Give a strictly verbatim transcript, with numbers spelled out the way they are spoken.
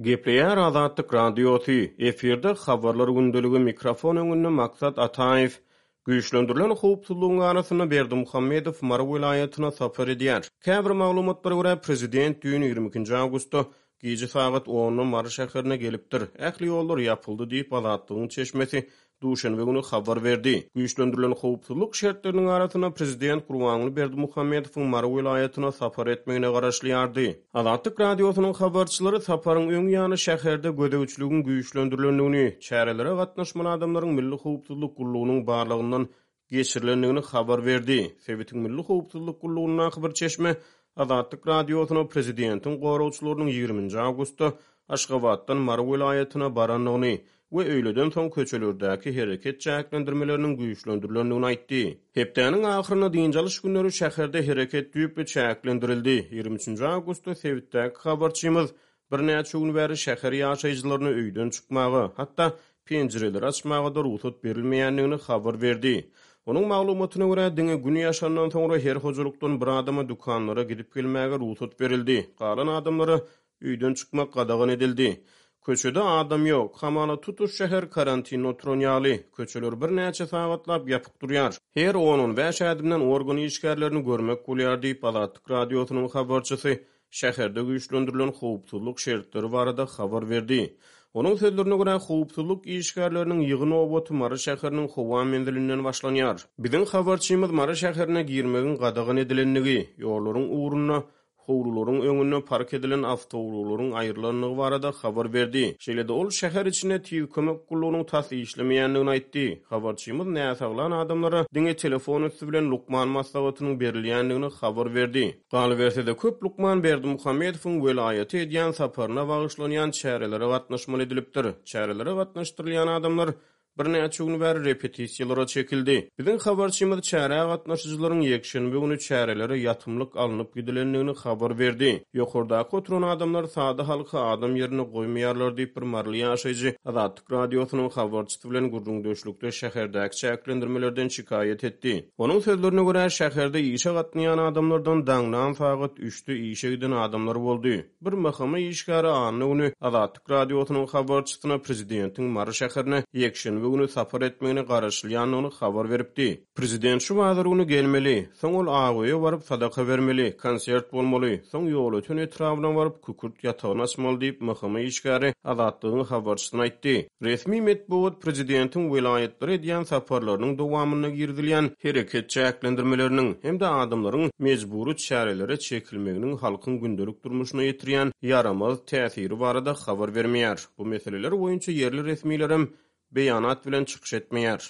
Gepleýär Azatlyk Radiosy, efirde Habarlar gündeligi, mikrofon öňünde Maksat Ataýew. Güýçlendirilen howpsuzlygyň arasynda Berdimuhamedow Mary welaýatyna sapar edýär. Käbir maglumatlara görä, prezident düýn ýigrimi ikinji awgustda gije sagat onda Mary şäherine gelipdir. Ähli ýollar ýapyldy diýip, Azatlygyň çeşmesi duşenbe güni habar berdi. Güýçlendirilen howpsuzlyk şertleriniň arasynda prezident Gurbanguly Berdimuhamedowyň Mary welaýatyna sapar etmegine garaşylýardy. Azatlyk Radiosynyň habarçylary saparyň öň ýany şäherde gözegçiligiň güýçlendirilendigini, çärelere gatnaşmaly adamlaryň Milli howpsuzlyk gullugynyň barlagyndan geçirilendigini habar berdi. Sebitiň Milli howpsuzlyk gullugyndaky bir çeşme Azatlyk Radiosyna prezidentiň goragçylarynyň ýigriminji awgustda Aşgabatdan Mary welaýatyna barandygyny we öýleden soň köçelerdäki hereket çäklendirmeleriniň güýçlendirilendigini aýtdy. Hepdäniň ahyrynda dynç alyş günleri şäherde hereket düýpli çäklendirildi. Ýigrimi üçünji awgustda sebitdäki habarçymyz birnäçe gün bäri şäher ýaşaýjylaryna öýden çykmaga, hatda penjireleri açmaga-da rugsat berilmeýändigini habar berdi. Onuň maglumatyna görä, diňe gün ýaşandan soňra her hojalykdan bir adama dükanlara gidip gelmäge rugsat berildi. Galan adamlara öýden çykmak gadagan edildi. Köçede adam ýok. Hamala tutuş şäher karantinde oturan ýaly. Köçeler birnäçe sagatlap ýapyk durýar. Her on-on bäş ädimden organ işgärlerini görmek bolýar diýip, Azatlyk Radiosynyň habarçysy şäherde güýçlendirilen howpsuzlyk şertleri barada habar berdi. Onuň sözlerine görä, howpsuzlyk işgärleriniň ýygy nobaty Mary şäheriniň howa menzilinden başlanýar. Biziň habarçymyz Mary şäherine girmegiň gadagan edilendigi, ýollaryň ugrunda howlularyň öňünde park edilen awtoulaglaryň aýrylandygy barada habar berdi. Şeýle-de ol şäher içinde tiz kömek gullugynyň tas işlemeýändigini aýtdy. Habarçymyz näsaglan adamlara diňe telefon üsti bilen lukman maslahatynyň berilýändigini habar berdi. Galyberse-de, köp lukman Berdimuhamedowyň welaýata edýän saparyna bagyşlanýan çärelere gatnaşmaly edilipdir. Çärelere gatnaşdyrylýan adamlar birnäçe gün bäri repetisiýalara çekildi. Biziň habarçymyz çärä gatnaşyjylaryň ýekşenbe güni çärelere ýatymlyk alnyp gidilendigini habar berdi. Ýokardaky oturan adamlar sada halky adam ýerine goýmaýarlar diýip, bir maryly ýaşaýjy Azatlyk Radiosynyň habarçysy bilen gürrüňdeşlikde şäherdäki çäklendirmelerden şikaýat etdi. Onuň sözlerine görä, şäherde işe gatnaýan adamlardan daňdan sagat üçde işe giden adamlar boldy. Bir M H M işgäri anna güni Azatlyk Radiosynyň habarçysyna prezidentiň Mary şäherine ýekşenbe güni sapar etmegine garaşylýandygyny habar beripdi. Prezident şu bazar güni gelmeli, soň ol Agöýe baryp sadaka bermeli, konsert bolmaly, soň Ýolöten etrabyna baryp kükürt ýatagyny açmaly diýip M H M işgäri Azatlygyň habarçysyna aýtdy. Resmi metbugat prezidentiň welaýatlara edýän saparlarynyň dowamynda girizilýän hereket çäklendirmeleriniň hem-de adamlaryň mejbury çärelere çekilmeginiň halkyň gündelik durmuşyna ýetirýän ýaramaz täsiri barada habar bermeýär. Bu meseleler boýunça ýerli resmilerem beýanat bilen çykyş etmeýär.